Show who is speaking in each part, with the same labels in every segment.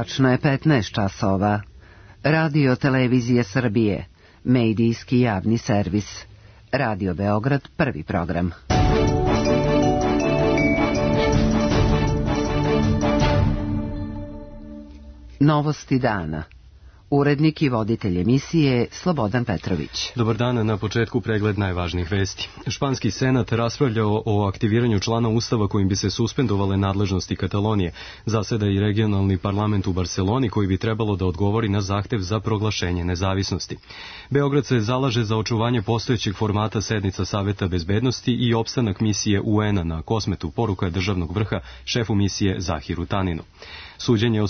Speaker 1: Tačno je 15 časova. Radio Televizije Srbije, medijski javni servis. Radio Beograd, prvi program. Novosti dana. Urednik i voditelj emisije Slobodan Petrović.
Speaker 2: Dobar dan, na početku pregled najvažnijih vesti. Španski senat raspravljao o aktiviranju člana Ustava kojim bi se suspendovale nadležnosti Katalonije. Zaseda i regionalni parlament u Barseloni koji bi trebalo da odgovori na zahtev za proglašenje nezavisnosti. Beograd se zalaže za očuvanje postojećeg formata sednica Saveta bezbednosti i opstanak misije UN-a na Kosmetu, poruka državnog vrha šefu misije Zahiru Taninu. Suđenje o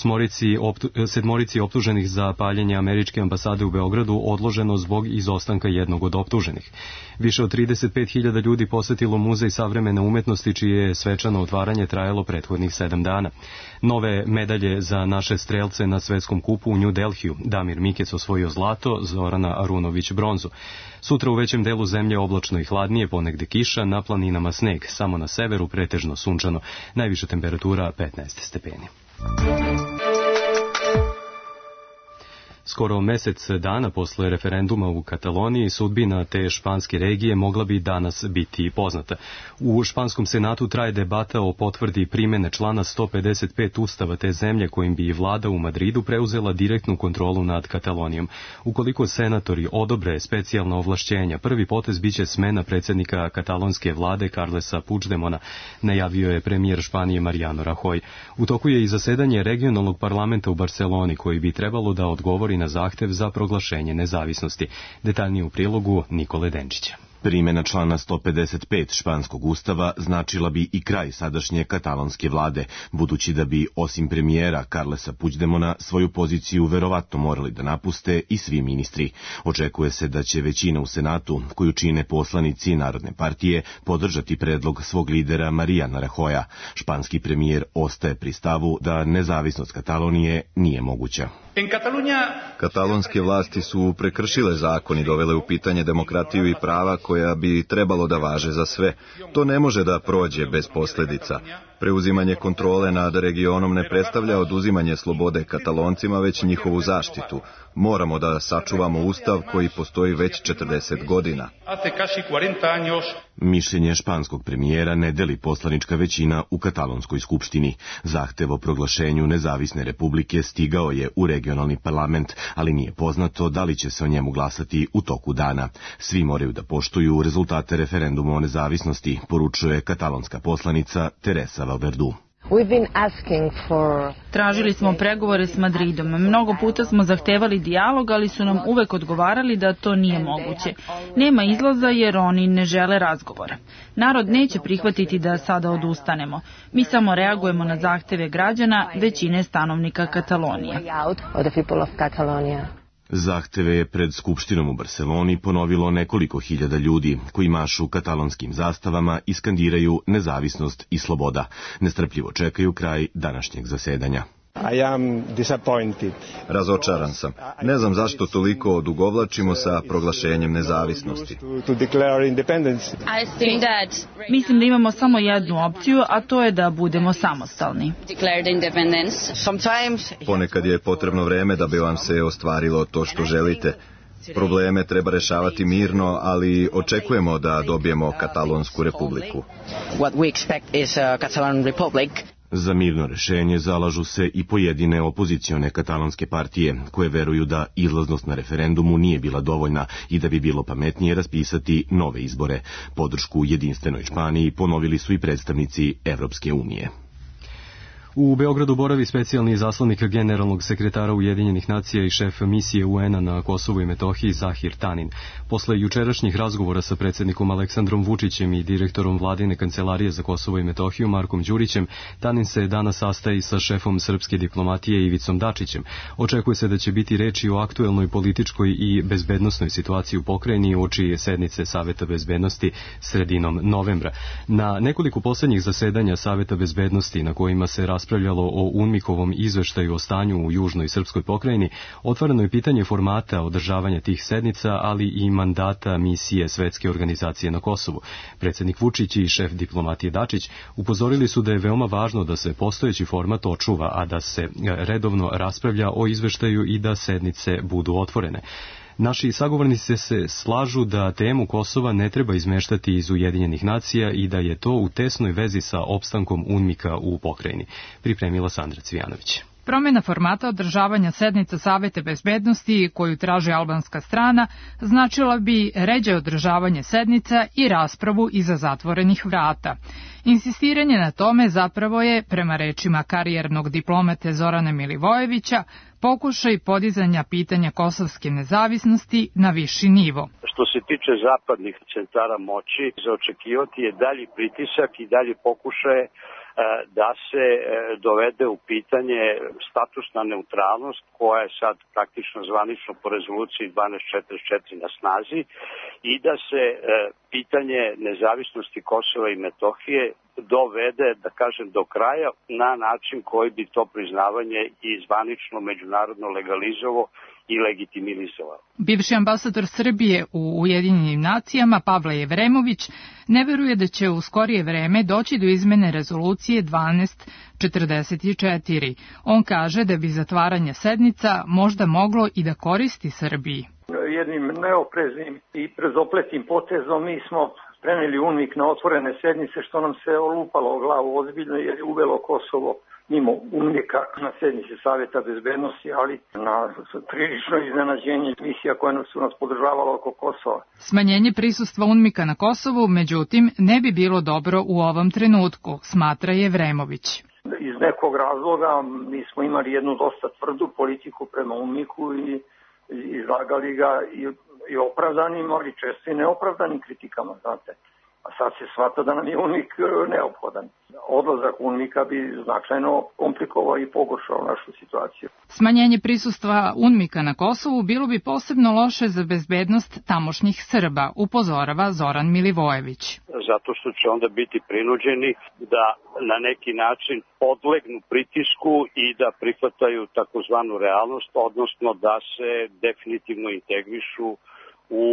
Speaker 2: sedmorici optuženih za paljenje američke ambasade u Beogradu odloženo zbog izostanka jednog od optuženih. Više od 35.000 ljudi posetilo Muzej savremene umetnosti, čije je svečano otvaranje trajalo prethodnih 7 dana. Nove medalje za naše strelce na svetskom kupu u New Delhiju. Damir Mikec osvojio zlato, Zorana Arunović bronzu. Sutra u većem delu zemlje oblačno i hladnije, ponegde kiša, na planinama sneg, samo na severu pretežno sunčano. Najviša temperatura 15 stepeni. Skoro mesec dana posle referenduma u Kataloniji sudbina te španske regije mogla bi danas biti poznata. U španskom senatu traje debata o potvrdi primene člana 155 ustava te zemlje kojim bi vlada u Madridu preuzela direktnu kontrolu nad Katalonijom. Ukoliko senatori odobre specijalna ovlašćenja, prvi potez biće smena predsjednika katalonske vlade Carlesa Puigdemona, najavio je premijer Španije Mariano Rajoy. U toku je i zasedanje regionalnog parlamenta u Barseloni koji bi trebalo da odgovori na zahtev za proglašenje nezavisnosti. Detaljnije u prilogu Nikole Denčića.
Speaker 3: Primjena člana 155 španskog ustava značila bi i kraj sadašnje katalonske vlade, budući da bi, osim premijera Carlesa Puigdemona, svoju poziciju verovatno morali da napuste i svi ministri. Očekuje se da će većina u Senatu, koju čine poslanici Narodne partije, podržati predlog svog lidera Mariana Rajoya. Španski premijer ostaje pri stavu da nezavisnost Katalonije nije moguća.
Speaker 4: Katalonske vlasti su prekršile zakon i dovele u pitanje demokratiju i prava koja bi trebalo da važe za sve. To ne može da prođe bez posljedica. Preuzimanje kontrole nad regionom ne predstavlja oduzimanje slobode Kataloncima, već njihovu zaštitu. Moramo da sačuvamo ustav koji postoji već 40 godina.
Speaker 3: Mišljenje španskog premijera ne deli poslanička većina u katalonskoj skupštini. Zahtev o proglašenju nezavisne republike stigao je u regionalni parlament, ali nije poznato da li će se o njemu glasati u toku dana. Svi moraju da poštuju rezultate referenduma o nezavisnosti, poručuje katalonska poslanica Teresa Valverdu.
Speaker 5: Tražili smo pregovore s Madridom. Mnogo puta smo zahtevali dijalog, ali su nam uvek odgovarali da to nije moguće. Nema izlaza jer oni ne žele razgovora. Narod neće prihvatiti da sada odustanemo. Mi samo reagujemo na zahteve građana, većine stanovnika Katalonije.
Speaker 3: Zahteve je pred Skupštinom u Barseloni ponovilo nekoliko hiljada ljudi koji mašu katalonskim zastavama i skandiraju nezavisnost i sloboda. Nestrpljivo čekaju kraj današnjeg zasedanja.
Speaker 4: Razočaran sam. Ne znam zašto toliko odugovlačimo sa proglašenjem nezavisnosti.
Speaker 5: Mislim da imamo samo jednu opciju, a to je da budemo samostalni.
Speaker 4: Ponekad je potrebno vreme da bi vam se ostvarilo to što želite. Probleme treba rešavati mirno, ali očekujemo da dobijemo Katalonsku republiku.
Speaker 3: Za mirno rešenje zalažu se i pojedine opozicione katalonske partije, koje veruju da izlaznost na referendumu nije bila dovoljna i da bi bilo pametnije raspisati nove izbore. Podršku jedinstvenoj Španiji ponovili su i predstavnici Evropske unije.
Speaker 2: U Beogradu boravi specijalni izaslanik generalnog sekretara Ujedinjenih nacija i šef misije UN-a na Kosovu i Metohiji Zahir Tanin. Posle jučerašnjih razgovora sa predsjednikom Aleksandrom Vučićem i direktorom vladine kancelarije za Kosovo i Metohiju Markom Đurićem, Tanin se danas sastaje sa šefom srpske diplomatije Ivicom Dačićem. Očekuje se da će biti reči o aktuelnoj političkoj i bezbednosnoj situaciji u pokrajini uoči sednice Saveta bezbednosti sredinom novembra. Na nekoliko poslednjih zasedanja Saveta bezbednosti na kojima se raspravljalo o UNMIK-ovom izveštaju o stanju u južnoj srpskoj pokrajini, otvoreno je pitanje formata održavanja tih sednica, ali i mandata misije Svetske organizacije na Kosovu. Predsjednik Vučić i šef diplomatije Dačić upozorili su da je veoma važno da se postojeći format očuva, a da se redovno raspravlja o izveštaju i da sednice budu otvorene. Naši sagovornici se slažu da temu Kosova ne treba izmeštati iz Ujedinjenih nacija i da je to u tesnoj vezi sa opstankom UNMIK-a u pokrajini. Pripremila Sandra Cvijanović.
Speaker 6: Promjena formata održavanja sednica Saveta bezbednosti koju traži albanska strana značila bi ređe održavanje sednica i raspravu iza zatvorenih vrata. Insistiranje na tome zapravo je, prema rečima karijernog diplomate Zorana Milivojevića, pokušaj podizanja pitanja kosovske nezavisnosti na viši nivo.
Speaker 7: Što se tiče zapadnih centara moći, za očekivati je dalji pritisak i dalje pokušaje da se dovede u pitanje statusna neutralnost koja je sad praktično zvanično po rezoluciji 1244 na snazi i da se pitanje nezavisnosti Kosova i Metohije dovede, da kažem, do kraja na način koji bi to priznavanje i zvanično međunarodno legalizovao i legitimizovao.
Speaker 6: Bivši ambasador Srbije u Ujedinjenim nacijama Pavle Jevremović ne veruje da će u skorije vreme doći do izmene rezolucije 1244. On kaže da bi zatvaranje sednica možda moglo i da koristi Srbiji.
Speaker 8: Jednim neopreznim i prezopletim potezom mi smo preneli UNMIK na otvorene sednice, što nam se olupalo o glavu ozbiljno jer je uvelo Kosovo mimo UNMIK-a na sednici Saveta bezbednosti, ali na prilično iznenađenje misija koje su nas podržavala oko Kosova.
Speaker 6: Smanjenje prisustva UNMIK-a na Kosovu, međutim, ne bi bilo dobro u ovom trenutku, smatra Jevremović.
Speaker 8: Iz nekog razloga mi smo imali jednu dosta tvrdu politiku prema UNMIK-u i izlagali ga i opravdanim, ali često i neopravdanim kritikama, znate. A sad se shvata da nam je UNMIK neophodan. Odlazak UNMIK-a bi značajno komplikovao i pogoršao našu situaciju.
Speaker 6: Smanjenje prisustva UNMIK-a na Kosovu bilo bi posebno loše za bezbednost tamošnjih Srba, upozorava Zoran Milivojević.
Speaker 7: Zato što će onda biti prinuđeni da na neki način podlegnu pritisku i da prihvataju takozvanu realnost, odnosno da se definitivno integrišu u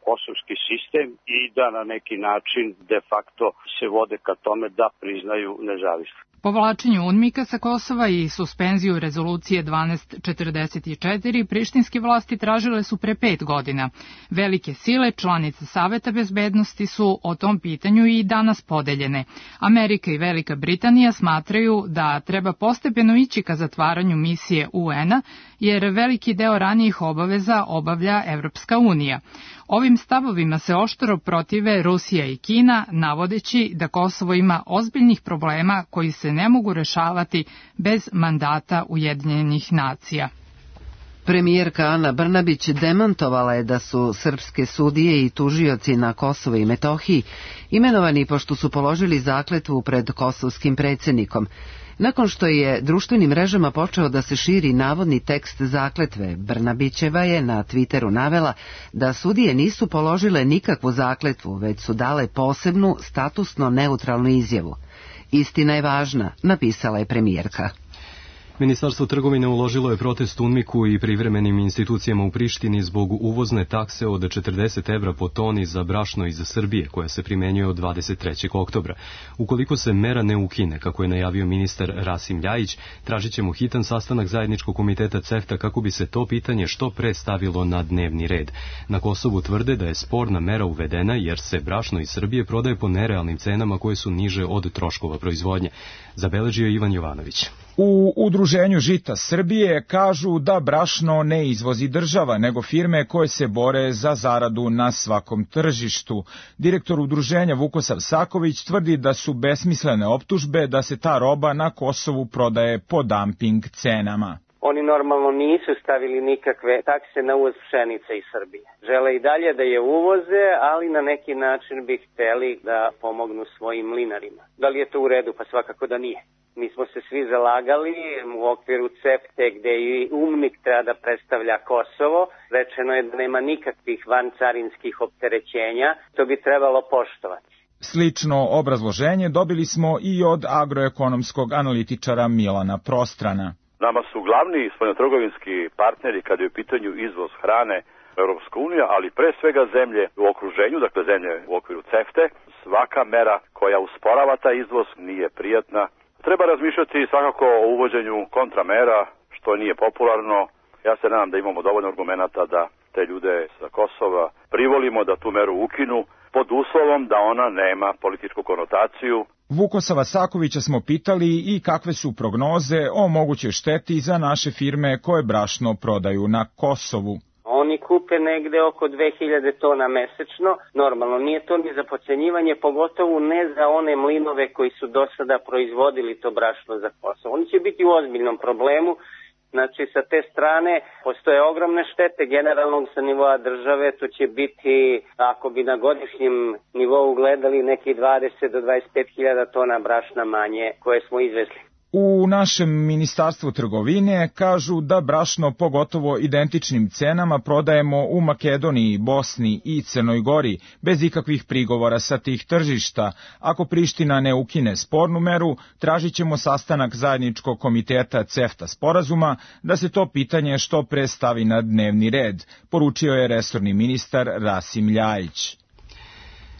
Speaker 7: kosovski sistem i da na neki način de facto se vode ka tome da priznaju nezavisnost.
Speaker 6: Povlačenju UNMIK-a sa Kosova i suspenziju rezolucije 1244 prištinske vlasti tražile su pre 5 godina. Velike sile, članice Saveta bezbednosti, su o tom pitanju i danas podeljene. Amerika i Velika Britanija smatraju da treba postepeno ići ka zatvaranju misije UN-a, jer veliki deo ranijih obaveza obavlja Evropska unija. Ovim stavovima se oštro protive Rusija i Kina, navodeći da Kosovo ima ozbiljnih problema koji se ne mogu rešavati bez mandata Ujedinjenih nacija.
Speaker 1: Premijerka Ana Brnabić demantovala je da su srpske sudije i tužioci na Kosovo i Metohiji imenovani pošto su položili zakletvu pred kosovskim predsjednikom. Nakon što je društvenim mrežama počeo da se širi navodni tekst zakletve, Brnabićeva je na Twitteru navela da sudije nisu položile nikakvu zakletvu, već su dale posebnu, statusno neutralnu izjavu. Istina je važna, napisala je premijerka.
Speaker 2: Ministarstvo trgovine uložilo je protest UNMIK-u i privremenim institucijama u Prištini zbog uvozne takse od 40 evra po toni za brašno iz Srbije, koja se primenjuje od 23. oktobra. Ukoliko se mera ne ukine, kako je najavio ministar Rasim Ljajić, tražit ćemo hitan sastanak zajedničkog komiteta CEFTA kako bi se to pitanje što pre stavilo na dnevni red. Na Kosovu tvrde da je sporna mera uvedena jer se brašno iz Srbije prodaje po nerealnim cenama koje su niže od troškova proizvodnje. Zabeležio Ivan Jovanović.
Speaker 9: U Udruženju žita Srbije kažu da brašno ne izvozi država, nego firme koje se bore za zaradu na svakom tržištu. Direktor udruženja Vukosav Saković tvrdi da su besmislene optužbe da se ta roba na Kosovu prodaje po dumping cenama.
Speaker 10: Oni normalno nisu stavili nikakve takse na uvoz pšenice iz Srbije. Žele i dalje da je uvoze, ali na neki način bi hteli da pomognu svojim mlinarima. Da li je to u redu? Pa svakako da nije. Mi smo se svi zalagali u okviru CEFTE gde i UNMIK treba da predstavlja Kosovo. Rečeno je da nema nikakvih vancarinskih opterećenja. To bi trebalo poštovati.
Speaker 9: Slično obrazloženje dobili smo i od agroekonomskog analitičara Milana Prostrana.
Speaker 11: Nama su glavni spoljnotrgovinski partneri kada je u pitanju izvoz hrane Europska unija, ali pre svega zemlje u okruženju, dakle zemlje u okviru CEFTA. Svaka mera koja usporava taj izvoz nije prijatna. Treba razmišljati svakako o uvođenju kontramera, što nije popularno. Ja se nadam da imamo dovoljno argumenata da te ljude sa Kosova privolimo da tu meru ukinu, pod uslovom da ona nema političku konotaciju.
Speaker 9: Vukosava Sakovića smo pitali i kakve su prognoze o mogućoj šteti za naše firme koje brašno prodaju na Kosovu.
Speaker 10: Oni kupe negde oko 2000 tona mesečno. Normalno, nije to ni za podcenjivanje, pogotovo ne za one mlinove koji su do sada proizvodili to brašno za Kosovo. Oni će biti u ozbiljnom problemu. Znači, sa te strane postoje ogromne štete generalnog sa nivoa države. To će biti, ako bi na godišnjem nivou gledali, neki 20 do 25 hiljada tona brašna manje koje smo izvezli.
Speaker 9: U našem ministarstvu trgovine kažu da brašno po gotovo identičnim cenama prodajemo u Makedoniji, Bosni i Crnoj Gori, bez ikakvih prigovora sa tih tržišta. Ako Priština ne ukine spornu meru, tražit ćemo sastanak zajedničkog komiteta CEFTA sporazuma da se to pitanje što pre stavi na dnevni red, poručio je resorni ministar Rasim Ljajić.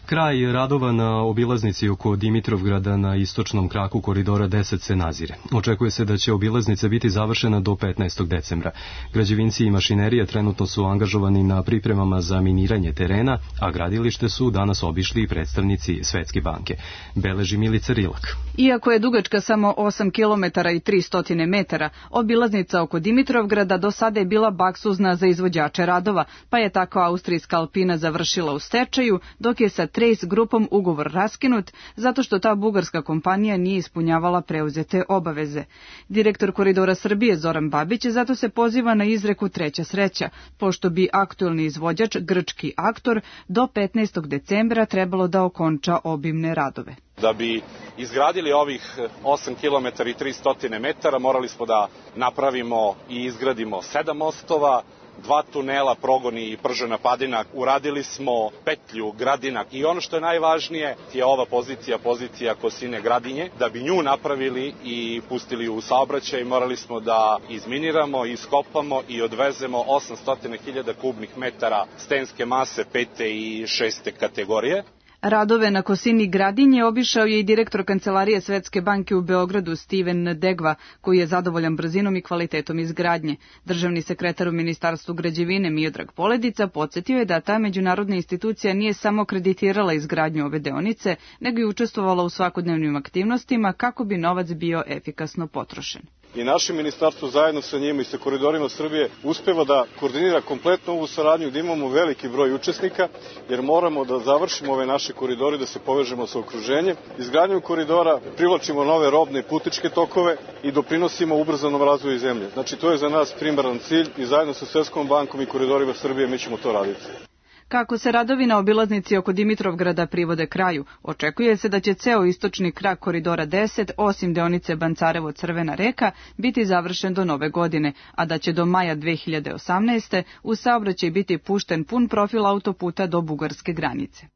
Speaker 2: Kraj radova na obilaznici oko Dimitrovgrada na istočnom kraku koridora 10 se nazire. Očekuje se da će obilaznica biti završena do 15. decembra. Građevinci i mašinerija trenutno su angažovani na pripremama za miniranje terena, a gradilište su danas obišli i predstavnici Svetske banke. Beleži Milica Rilak.
Speaker 12: Iako je dugačka samo 8 km i 300 metara, obilaznica oko Dimitrovgrada do sada je bila baksuzna za izvođače radova, pa je tako austrijska Alpina završila u stečaju, dok je sa Trace grupom ugovor raskinut zato što ta bugarska kompanija nije ispunjavala preuzete obaveze. Direktor Koridora Srbije Zoran Babić zato se poziva na izreku treća sreća, pošto bi aktuelni izvođač, grčki Aktor, do 15. decembra trebalo da okonča obimne radove.
Speaker 13: Da bi izgradili ovih 8 km i 300 metara morali smo da napravimo i izgradimo 7 mostova, 2 tunela, Progoni i Pržena Padina, uradili smo petlju Gradinak i ono što je najvažnije je ova pozicija Kosine Gradinje. Da bi nju napravili i pustili u saobraćaj morali smo da izminiramo, iskopamo i odvezemo 800.000 kubnih metara stenske mase 5. i 6. kategorije.
Speaker 12: Radove na Kosini Gradinje obišao je i direktor Kancelarije Svetske banke u Beogradu Steven Degva, koji je zadovoljan brzinom i kvalitetom izgradnje. Državni sekretar u Ministarstvu građevine Miodrag Poledica podsjetio je da ta međunarodna institucija nije samo kreditirala izgradnju ove deonice, nego i učestvovala u svakodnevnim aktivnostima kako bi novac bio efikasno potrošen.
Speaker 13: I naše ministarstvo zajedno sa njima i sa Koridorima Srbije uspeva da koordinira kompletno ovu saradnju gde imamo veliki broj učesnika, jer moramo da završimo ove naše koridore, da se povežemo sa okruženjem. Izgradnjom koridora privlačimo nove robne i putničke tokove i doprinosimo ubrzanom razvoju zemlje. Znači, to je za nas primaran cilj i zajedno sa Svetskom bankom i Koridorima Srbije mi ćemo to raditi.
Speaker 12: Kako se radovi na obilaznici oko Dimitrovgrada privode kraju, očekuje se da će ceo istočni krak koridora 10, osim deonice Bancarevo-Crvena reka, biti završen do nove godine, a da će do maja 2018. u saobraćaj biti pušten pun profil autoputa do bugarske granice.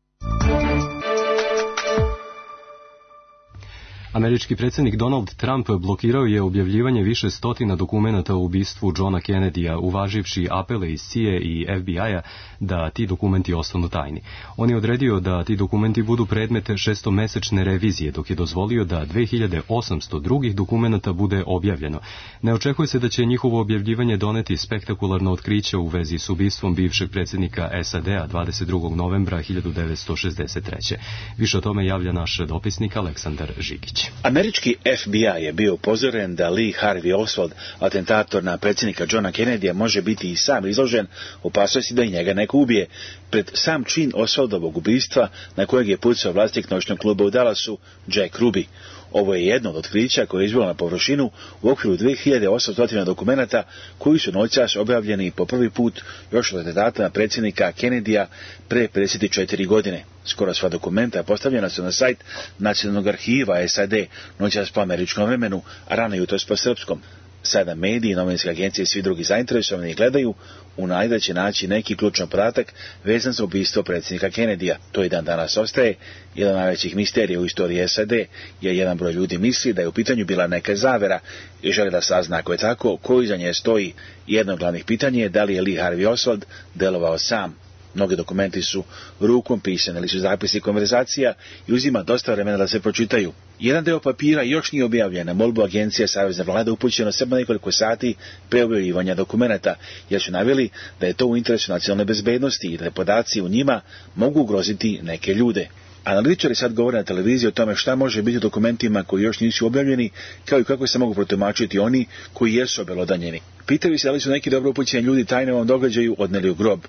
Speaker 2: Američki predsjednik Donald Trump blokirao je objavljivanje više stotina dokumenata o ubistvu Johna Kennedya, uvaživši apele iz CIA i FBI-a da ti dokumenti ostanu tajni. On je odredio da ti dokumenti budu predmet 6-mesečne revizije, dok je dozvolio da 2800 drugih dokumenata bude objavljeno. Ne očekuje se da će njihovo objavljivanje doneti spektakularno otkriće u vezi s ubistvom bivšeg predsjednika SAD-a 22. novembra 1963. Više o tome javlja naš dopisnik Aleksandar Žigić.
Speaker 14: Američki FBI je bio upozoren da Lee Harvey Oswald, atentator na predsjednika Johna Kennedya, može biti i sam izložen opasnosti da i njega neko ubije. Pred sam čin Oswaldovog ubistva, na kojeg je pucao vlasnik noćnog kluba u Dallasu, Jack Ruby. Ovo je jedno od otkrića koje je izbilo na površinu u okviru 2800 dokumenata koji su noćas objavljeni po prvi put još od atentata na predsjednika Kennedya pre 54 godine. Skoro sva dokumenta postavljena su na sajt Nacionalnog arhiva SAD, noćas po američkom vremenu, a rano jutros po srpskom. Sada mediji, novinske agencije i svi drugi zainteresovani gledaju u nadi da će naći neki ključan podatak vezan za ubistvo predsjednika Kennedyja. To i dan danas ostaje jedan od najvećih misterija u istoriji SAD, jer jedan broj ljudi misli da je u pitanju bila neka zavera i želi da sazna ako je tako, ko iza nje stoji. Jedno od glavnih pitanja je da li je Lee Harvey Oswald delovao sam. Mnogi dokumenti su rukom pisani ili su zapisi konverzacija i uzima dosta vremena da se pročitaju. Jedan deo papira još nije objavljen na molbu agencije Savezne vlade upućeno samo nekoliko sati pre objavljivanja dokumenata, jer su naveli da je to u interesu nacionalne bezbednosti i da podaci u njima mogu ugroziti neke ljude. Analitičari sad govore na televiziji o tome šta može biti u dokumentima koji još nisu objavljeni, kao i kako se mogu protumačiti oni koji jesu obelodanjeni. Pitaju se da li su neki dobro upućeni ljudi tajno ovom događaju odneli u grob.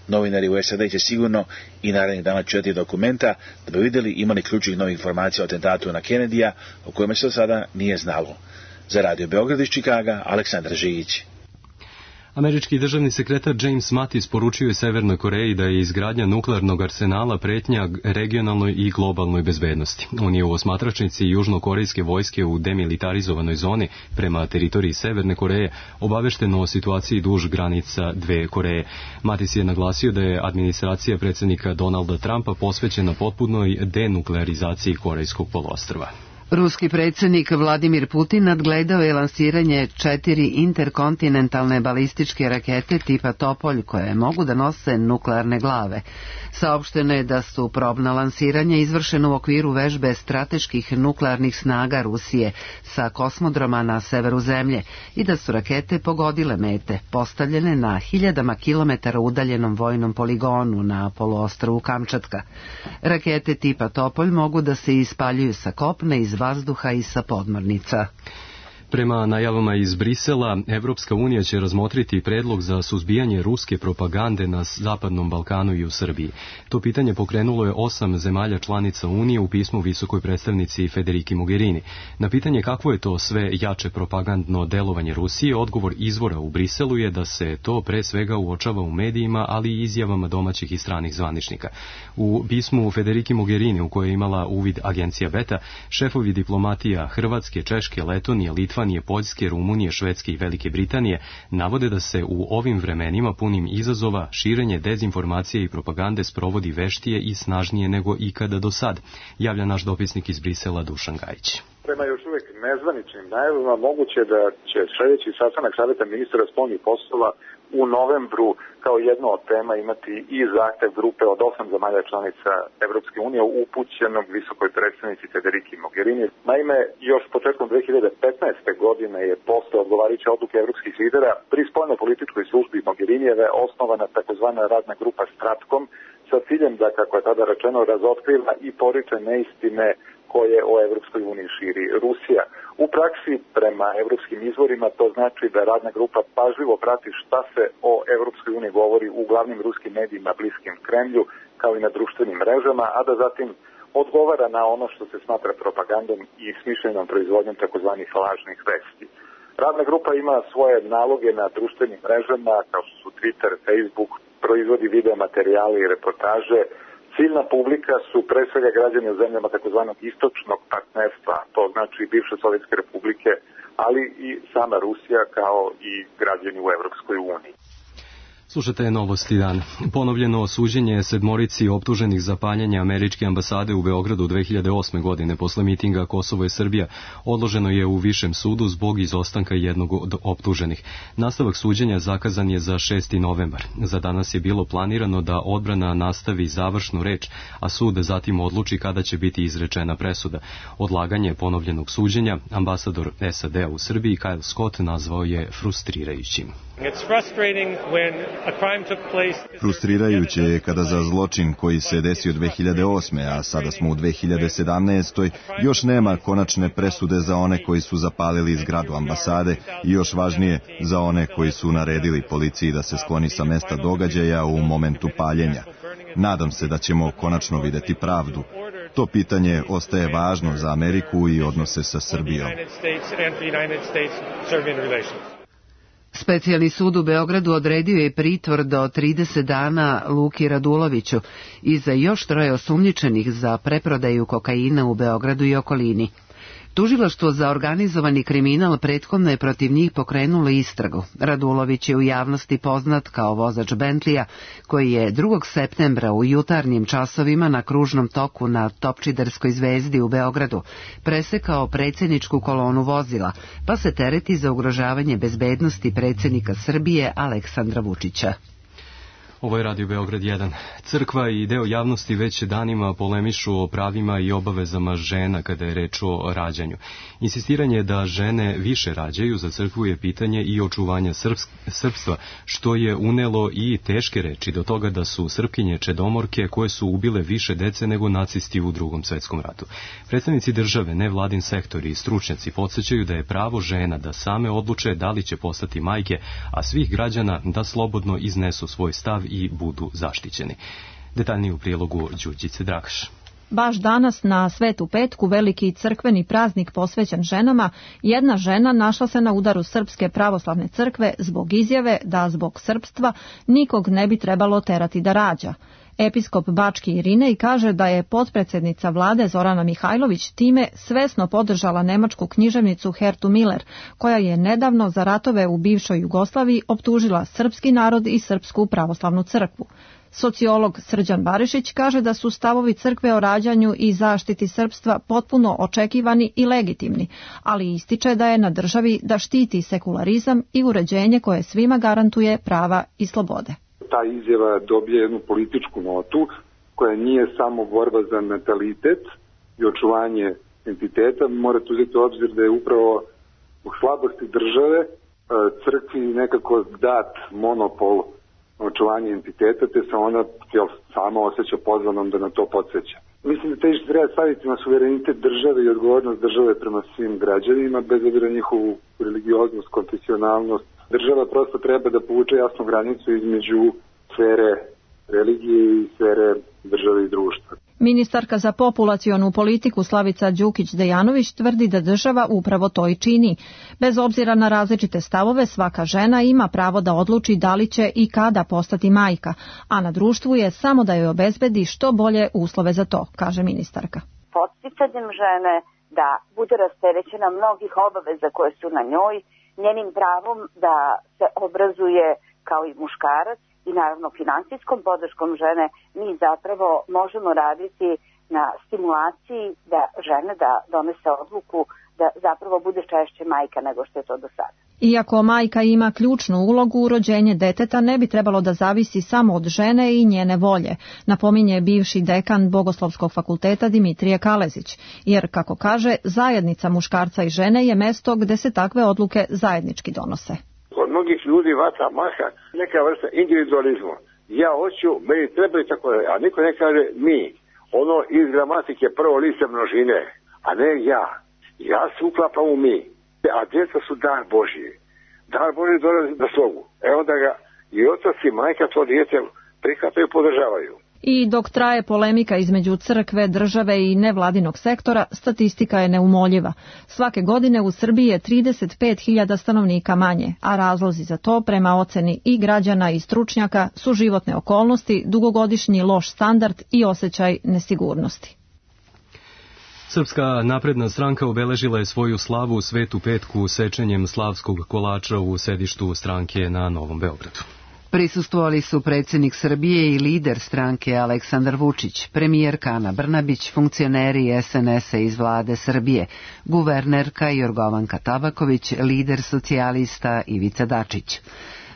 Speaker 14: Novinari u SAD će sigurno i narednih dana čitati dokumenta da bi vidjeli imali ključnih novih informacija o atentatu na Kennedyja o kojima se do sada nije znalo. Za Radio Beograd iz Čikaga, Aleksandar Žigić.
Speaker 2: Američki državni sekretar James Mattis poručio je Severnoj Koreji da je izgradnja nuklearnog arsenala pretnja regionalnoj i globalnoj bezbednosti. On je u osmatračnici južnokorejske vojske u demilitarizovanoj zoni prema teritoriji Severne Koreje obavešteno o situaciji duž granica dve Koreje. Mattis je naglasio da je administracija predsjednika Donalda Trumpa posvećena potpunoj denuklearizaciji Korejskog poluostrva.
Speaker 1: Ruski predsjednik Vladimir Putin nadgledao je lansiranje 4 interkontinentalne balističke rakete tipa Topolj koje mogu da nose nuklearne glave. Saopšteno je da su probna lansiranja izvršena u okviru vežbe strateških nuklearnih snaga Rusije sa kosmodroma na severu zemlje i da su rakete pogodile mete, postavljene na hiljadama kilometara udaljenom vojnom poligonu na poluostrvu Kamčatka. Rakete tipa Topolj mogu da se ispaljuju sa kopna, iz vazduha i sa podmornica.
Speaker 2: Prema najavama iz Brisela, Evropska unija će razmotriti predlog za suzbijanje ruske propagande na Zapadnom Balkanu i u Srbiji. To pitanje pokrenulo je 8 zemalja članica Unije u pismu visokoj predstavnici Federiki Mogherini. Na pitanje kakvo je to sve jače propagandno delovanje Rusije, odgovor izvora u Briselu je da se to pre svega uočava u medijima, ali i izjavama domaćih i stranih zvaničnika. U pismu Federiki Mogherini, u kojoj je imala uvid agencija Beta, šefovi diplomatija Hrvatske, Češke, Letonije, Litvanije, Poljske, Rumunije, Švedske i Velike Britanije navode da se u ovim vremenima punim izazova širenje dezinformacije i propagande sprovodi veštije i snažnije nego ikada do sad, javlja naš dopisnik iz Brisela Dušan Gajić.
Speaker 15: Prema još uvijek nezvaničnim najavama moguće da će sljedeći sastanak Saveta ministara spoljnih poslova u novembru kao jedno od tema imati i zahtev grupe od 8 zemalja članica Evropske unije upućenog visokoj predstavnici Federiki Mogherini. Naime, još početkom 2015. godine je posle odgovarajuće odluke evropskih lidera pri spoljno-političkoj službi Mogherinijeve osnovana takozvana radna grupa Stratkom sa ciljem da, kako je tada rečeno, razotkriva i poriče neistine koje o Evropskoj uniji širi Rusija. U praksi, prema evropskim izvorima, to znači da radna grupa pažljivo prati šta se o Evropskoj uniji govori u glavnim ruskim medijima bliskim Kremlju, kao i na društvenim mrežama, a da zatim odgovara na ono što se smatra propagandom i smišljenom proizvodnjom takozvanih lažnih vesti. Radna grupa ima svoje naloge na društvenim mrežama, kao što su Twitter, Facebook, proizvodi video materijale i reportaže. Ciljna publika su pre svega građani u zemljama takozvanog istočnog partnerstva, to znači bivše Sovjetske republike, ali i sama Rusija kao i građani u Evropskoj uniji.
Speaker 2: Slušajte Novosti dan. Ponovljeno suđenje sedmorici optuženih za paljenje američke ambasade u Beogradu 2008. godine posle mitinga Kosovo je Srbija odloženo je u Višem sudu zbog izostanka jednog od optuženih. Nastavak suđenja zakazan je za 6. novembar. Za danas je bilo planirano da odbrana nastavi završnu reč, a sud zatim odluči kada će biti izrečena presuda. Odlaganje ponovljenog suđenja ambasador SAD u Srbiji Kyle Scott nazvao je frustrirajućim.
Speaker 4: Frustrirajuće je kada za zločin koji se desio 2008. a sada smo u 2017. još nema konačne presude za one koji su zapalili zgradu ambasade i još važnije za one koji su naredili policiji da se skloni sa mesta događaja u momentu paljenja. Nadam se da ćemo konačno videti pravdu. To pitanje ostaje važno za Ameriku i odnose sa Srbijom.
Speaker 1: Specijalni sud u Beogradu odredio je pritvor do 30 dana Luki Raduloviću i za još 3 osumnjičenih za preprodaju kokaina u Beogradu i okolini. Tužilaštvo za organizovani kriminal prethodno je protiv njih pokrenulo istragu. Radulović je u javnosti poznat kao vozač Bentleya, koji je 2. septembra u jutarnjim časovima na kružnom toku na Topčiderskoj zvezdi u Beogradu presekao predsjedničku kolonu vozila, pa se tereti za ugrožavanje bezbednosti predsjednika Srbije Aleksandra Vučića.
Speaker 2: Ovo je Radio Beograd 1. Crkva i deo javnosti već danima polemišu o pravima i obavezama žena kada je reč o rađanju. Insistiranje da žene više rađaju za crkvu je pitanje i očuvanja srpstva, što je unelo i teške reči do toga da su Srpkinje čedomorke koje su ubile više dece nego nacisti u Drugom svetskom ratu. Predstavnici države, nevladin sektor i stručnjaci podsjećaju da je pravo žena da same odluče da li će postati majke, a svih građana da slobodno iznesu svoj stav i budu zaštićeni. Detaljnije u prilogu Đurđice Dragaš.
Speaker 16: Baš danas na Svetu petku, veliki crkveni praznik posvećen ženama, jedna žena našla se na udaru Srpske pravoslavne crkve zbog izjave da zbog srpstva nikog ne bi trebalo terati da rađa. Episkop Bački Irinej kaže da je potpredsjednica vlade Zorana Mihajlović time svesno podržala nemačku književnicu Hertu Miller, koja je nedavno za ratove u bivšoj Jugoslaviji optužila srpski narod i Srpsku pravoslavnu crkvu. Sociolog Srđan Barišić kaže da su stavovi crkve o rađanju i zaštiti srpstva potpuno očekivani i legitimni, ali ističe da je na državi da štiti sekularizam i uređenje koje svima garantuje prava i slobode.
Speaker 15: Ta izjava dobije jednu političku notu koja nije samo borba za natalitet i očuvanje entiteta. Morate uzeti u obzir da je upravo u slabosti države crkvi nekako dat monopol očuvanje entiteta, te se ona sama osjeća pozvanom da na to podsjeća. Mislim da težište treba staviti na suverenitet države i odgovornost države prema svim građanima, bez obzira na njihovu religioznost, konfesionalnost. Država prosto treba da povuče jasnu granicu između sfere religije i sfere države i društva.
Speaker 16: Ministarka za populacionu politiku Slavica Đukić-Dejanović tvrdi da država upravo to i čini. Bez obzira na različite stavove, svaka žena ima pravo da odluči da li će i kada postati majka, a na društvu je samo da joj obezbedi što bolje uslove za to, kaže ministarka.
Speaker 17: Podsticanjem žene da bude rasterećena mnogih obaveza koje su na njoj, njenim pravom da se obrazuje kao i muškarac i naravno finansijskom podrškom žene, mi zapravo možemo raditi na stimulaciji da žene da donese odluku da zapravo bude češće majka nego što je to do sada.
Speaker 16: Iako majka ima ključnu ulogu, rođenje deteta ne bi trebalo da zavisi samo od žene i njene volje, napominje bivši dekan Bogoslovskog fakulteta Dimitrije Kalezić, jer, kako kaže, zajednica muškarca i žene je mesto gde se takve odluke zajednički donose.
Speaker 18: Kod mnogih ljudi vata maha neka vrsta individualizma. Ja hoću, meni treba i tako, a niko ne kaže mi. Ono iz gramatike prvo lice množine, a ne ja. Ja se uklapam u mi. A djeca su dar Božji. Dar Božji dolazi na slogu. Onda ga i otac i majka to dijete prihvataju i podržavaju.
Speaker 16: I dok traje polemika između crkve, države i nevladinog sektora, statistika je neumoljiva. Svake godine u Srbiji je 35.000 stanovnika manje, a razlozi za to, prema oceni i građana i stručnjaka, su životne okolnosti, dugogodišnji loš standard i osjećaj nesigurnosti.
Speaker 2: Srpska napredna stranka obeležila je svoju slavu u Svetu petku sečenjem slavskog kolača u sedištu stranke na Novom Beogradu.
Speaker 1: Prisustvovali su predsjednik Srbije i lider stranke Aleksandar Vučić, premijerka Ana Brnabić, funkcioneri SNS-a iz vlade Srbije, guvernerka Jorgovanka Tabaković, lider socijalista Ivica Dačić.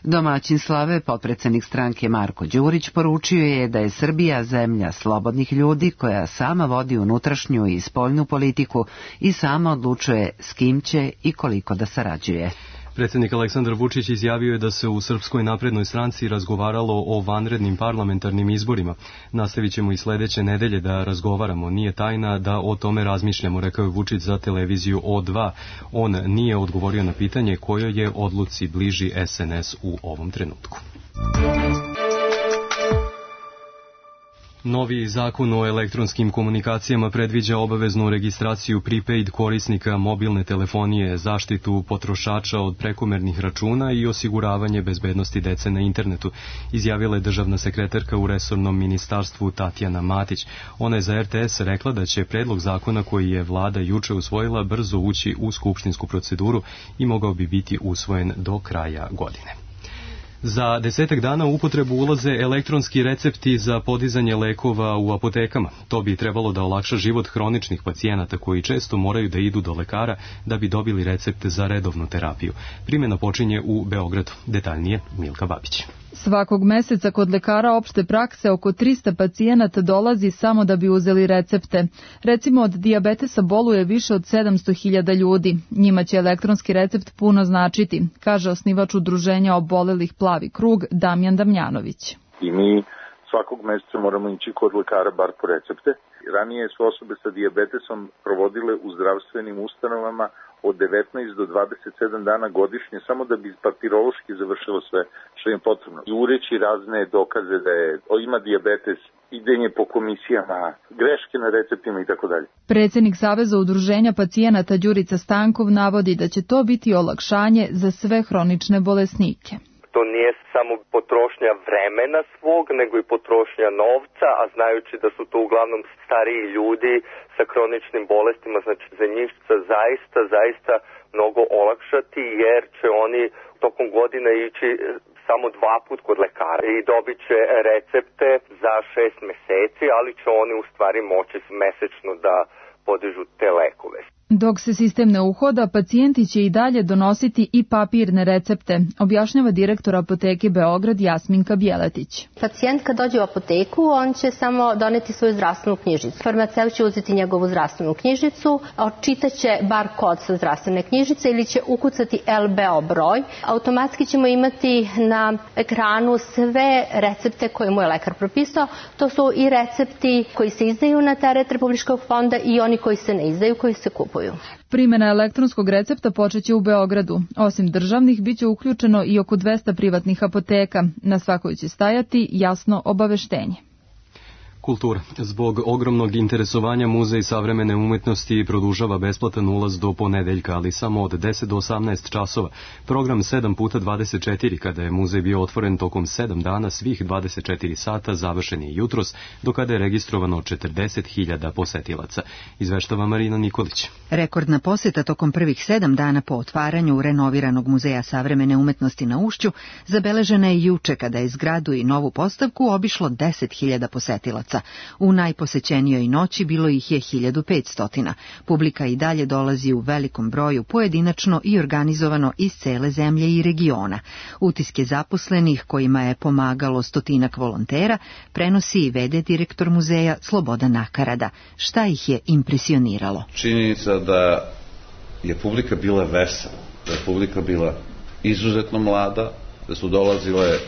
Speaker 1: Domaćin slave, potpredsjednik stranke Marko Đurić, poručio je da je Srbija zemlja slobodnih ljudi koja sama vodi unutrašnju i spoljnu politiku i sama odlučuje s kim će i koliko da sarađuje.
Speaker 2: Predsjednik Aleksandar Vučić izjavio je da se u Srpskoj naprednoj stranci razgovaralo o vanrednim parlamentarnim izborima. Nastavit ćemo i sljedeće nedelje da razgovaramo. Nije tajna da o tome razmišljamo, rekao je Vučić za televiziju O2. On nije odgovorio na pitanje kojoj je odluci bliži SNS u ovom trenutku. Novi zakon o elektronskim komunikacijama predviđa obaveznu registraciju prepaid korisnika mobilne telefonije, zaštitu potrošača od prekomernih računa i osiguravanje bezbednosti dece na internetu, izjavila je državna sekretarka u resornom ministarstvu Tatjana Matić. Ona je za RTS rekla da će predlog zakona koji je vlada juče usvojila brzo ući u skupštinsku proceduru i mogao bi biti usvojen do kraja godine. Za 10 dana u upotrebu ulaze elektronski recepti za podizanje lekova u apotekama. To bi trebalo da olakša život hroničnih pacijenata koji često moraju da idu do lekara da bi dobili recept za redovnu terapiju. Primjena počinje u Beogradu. Detaljnije Milka Babić.
Speaker 19: Svakog meseca kod lekara opšte prakse oko 300 pacijenata dolazi samo da bi uzeli recepte. Recimo od dijabetesa boluje više od 700.000 ljudi. Njima će elektronski recept puno značiti, kaže osnivač udruženja obolelih Plavi krug Damjan Damjanović.
Speaker 20: I mi svakog meseca moramo ići kod lekara bar po recepte. Ranije su osobe sa dijabetesom provodile u zdravstvenim ustanovama od 19 do 27 dana godišnje, samo da bi papirološki završilo sve što im potrebno. Jureći razne dokaze da ima dijabetes, idenje po komisijama, greške na receptima i tako dalje.
Speaker 19: Predsjednik Saveza udruženja pacijenata Đurica Stankov navodi da će to biti olakšanje za sve hronične bolesnike.
Speaker 21: To nije samo potrošnja vremena svog, nego i potrošnja novca, a znajući da su to uglavnom stariji ljudi sa hroničnim bolestima, znači za njih zaista mnogo olakšati, jer će oni tokom godine ići samo 2 puta kod lekara i dobit će recepte za 6 meseci, ali će oni u stvari moći mesečno da podižu te lekove.
Speaker 19: Dok se sistem ne uhoda, pacijenti će i dalje donositi i papirne recepte, objašnjava direktor apoteke Beograd Jasminka Bjeletić.
Speaker 22: Pacijent kad dođe u apoteku, on će samo doneti svoju zdravstvenu knjižicu. Farmaceut će uzeti njegovu zdravstvenu knjižicu, očitaće bar kod sa zdravstvene knjižice ili će ukucati LBO broj. Automatski ćemo imati na ekranu sve recepte koje mu je lekar propisao. To su i recepti koji se izdaju na teret Republičkog fonda i oni koji se ne izdaju, koji se kupuju.
Speaker 19: Primjena elektronskog recepta počeće u Beogradu. Osim državnih, bit će uključeno i oko 200 privatnih apoteka. Na svakoj će stajati jasno obaveštenje.
Speaker 2: Kultura. Zbog ogromnog interesovanja Muzej savremene umetnosti produžava besplatan ulaz do ponedeljka, ali samo od 10 do 18 časova. Program 7x24, kada je muzej bio otvoren tokom 7 dana, svih 24 sata završen je jutros, do kada je registrovano 40.000 posetilaca. Izveštava Marina Nikolić.
Speaker 23: Rekordna poseta tokom prvih 7 dana po otvaranju renoviranog Muzeja savremene umetnosti na Ušću zabeležena je juče, kada je zgradu i novu postavku obišlo 10.000 posetilaca. U najposećenijoj noći bilo ih je 1500. Publika i dalje dolazi u velikom broju, pojedinačno i organizovano iz cele zemlje i regiona. Utiske zaposlenih, kojima je pomagalo 100 volontera, prenosi i vede direktor muzeja Slobodan Nakarada. Šta ih je impresioniralo?
Speaker 24: Činjenica da je publika bila vesela, da je publika bila izuzetno mlada, da su dolazile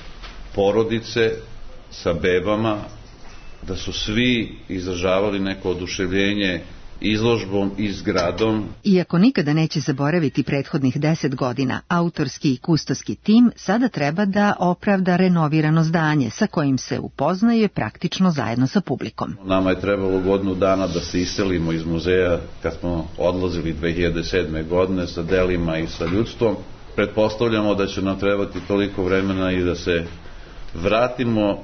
Speaker 24: porodice sa bebama, da su svi izražavali neko oduševljenje izložbom i zgradom.
Speaker 23: Iako nikada neće zaboraviti prethodnih 10 godina, autorski i kustoski tim sada treba da opravda renovirano zdanje sa kojim se upoznaje praktično zajedno sa publikom.
Speaker 24: Nama je trebalo godinu dana da se iselimo iz muzeja kad smo odlazili 2007. godine sa delima i sa ljudstvom. Pretpostavljamo da će nam trebati toliko vremena i da se vratimo,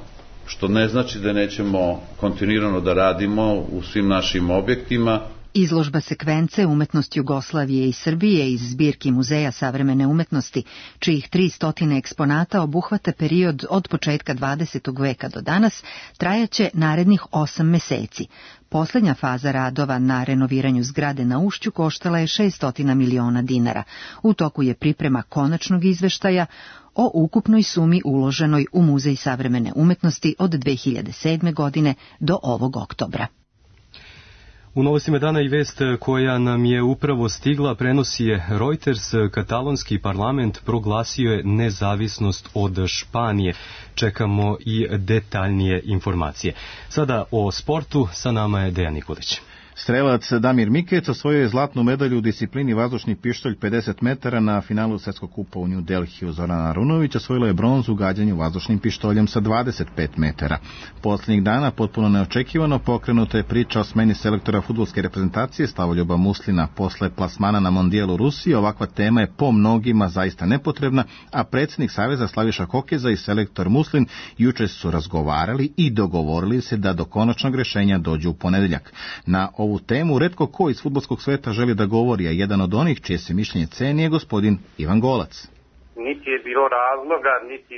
Speaker 24: što ne znači da nećemo kontinuirano da radimo u svim našim objektima.
Speaker 23: Izložba sekvence Umetnost Jugoslavije i Srbije iz zbirki Muzeja savremene umetnosti, čijih 300 eksponata obuhvata period od početka 20. veka do danas, trajaće narednih 8 meseci. Poslednja faza radova na renoviranju zgrade na Ušću koštala je 600 miliona dinara. U toku je priprema konačnog izveštaja o ukupnoj sumi uloženoj u Muzej savremene umetnosti od 2007. godine do ovog oktobra.
Speaker 2: U novostima dana i vest koja nam je upravo stigla prenosi je Reuters. Katalonski parlament proglasio je nezavisnost od Španije. Čekamo i detaljnije informacije. Sada o sportu, sa nama je Dejan Nikolić.
Speaker 3: Strelac Damir Mikec osvojio je zlatnu medalju u disciplini vazdušni pištolj 50 metara na finalu Svjetskog kupa u New Delhiju. Zorana Arunović osvojila je bronzu u gađanju vazdušnim pištoljem sa 25 metara. Posljednjih dana potpuno neočekivano pokrenuta je priča o smeni selektora fudbalske reprezentacije Slavoljuba Muslina posle plasmana na mondijelu Rusiji. Ovakva tema je po mnogima zaista nepotrebna, a predsjednik Saveza Slaviša Kokeza i selektor Muslin juče su razgovarali i dogovorili se da do konačnog rješenja dođu u ponedjeljak. Na ovu temu retko ko iz fudbalskog sveta želi da govori, a jedan od onih čije se mišljenje ceni je gospodin Ivan Golac.
Speaker 5: Niti je bilo razloga, niti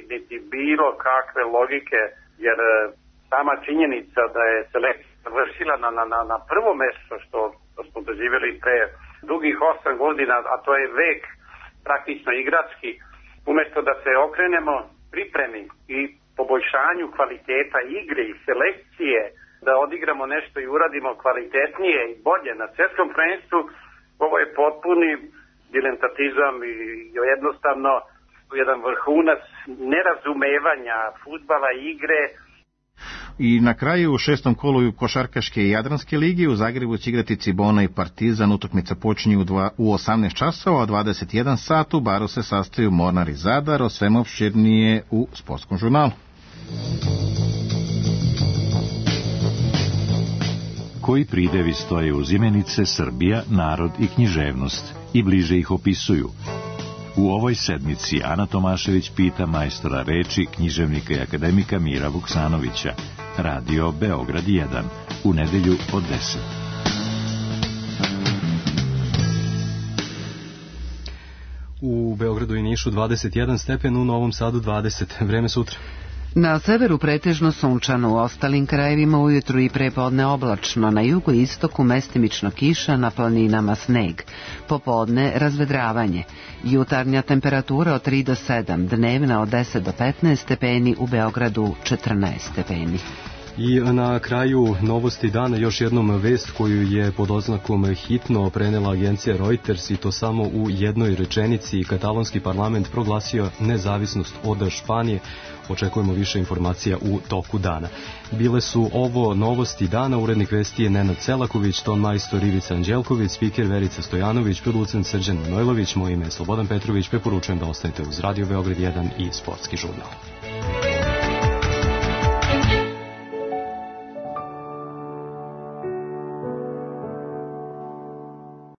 Speaker 5: bilo kakve logike, jer sama činjenica da je selekcija vršila na prvo mjesto što smo doživjeli pre dugih 8 godina, a to je vek praktično igrački, umjesto da se okrenemo pripremi i poboljšanju kvaliteta igre i selekcije, da odigramo nešto i uradimo kvalitetnije i bolje na svjetskom prvenstvu, ovo je potpuni diletantizam i jednostavno jedan vrhunac nerazumevanja fudbala i igre.
Speaker 3: I na kraju u 6. kolu košarkaške i Jadranske ligi u Zagrebu će igrati Cibona i Partizan. Utakmica počinje u 18 časova, a 21 sat u Baru se sastaju Mornar i Zadar. O svemu opširnije u Sportskom žurnalu.
Speaker 7: Koji pridevi stoje uz imenice Srbija, narod i književnost i bliže ih opisuju? U ovoj sedmici Ana Tomašević pita majstora reči, književnika i akademika Mira Vuksanovića. Radio Beograd 1, u nedelju od 10.
Speaker 2: U Beogradu i Nišu 21 stepen, u Novom Sadu 20. Vreme sutra.
Speaker 1: Na severu pretežno sunčano, u ostalim krajevima ujutru i prepodne oblačno, na jugu i istoku mestimično kiša, na planinama sneg. Popodne razvedravanje. Jutarnja temperatura od 3 do 7, dnevna od 10 do 15 stepeni, u Beogradu 14 stepeni.
Speaker 2: I na kraju novosti dana još jednom vest koju je pod oznakom hitno prenela agencija Reuters, i to samo u jednoj rečenici. Katalonski parlament proglasio nezavisnost od Španije. Očekujemo više informacija u toku dana. Bile su ovo novosti dana. Urednik vesti je Nenad Selaković, ton majstor Ivica Anđelković, spiker Verica Stojanović, producent Srđan Manojlović, moje ime je Slobodan Petrović. Preporučujem da ostanete uz Radio Beograd 1 i Sportski žurnal.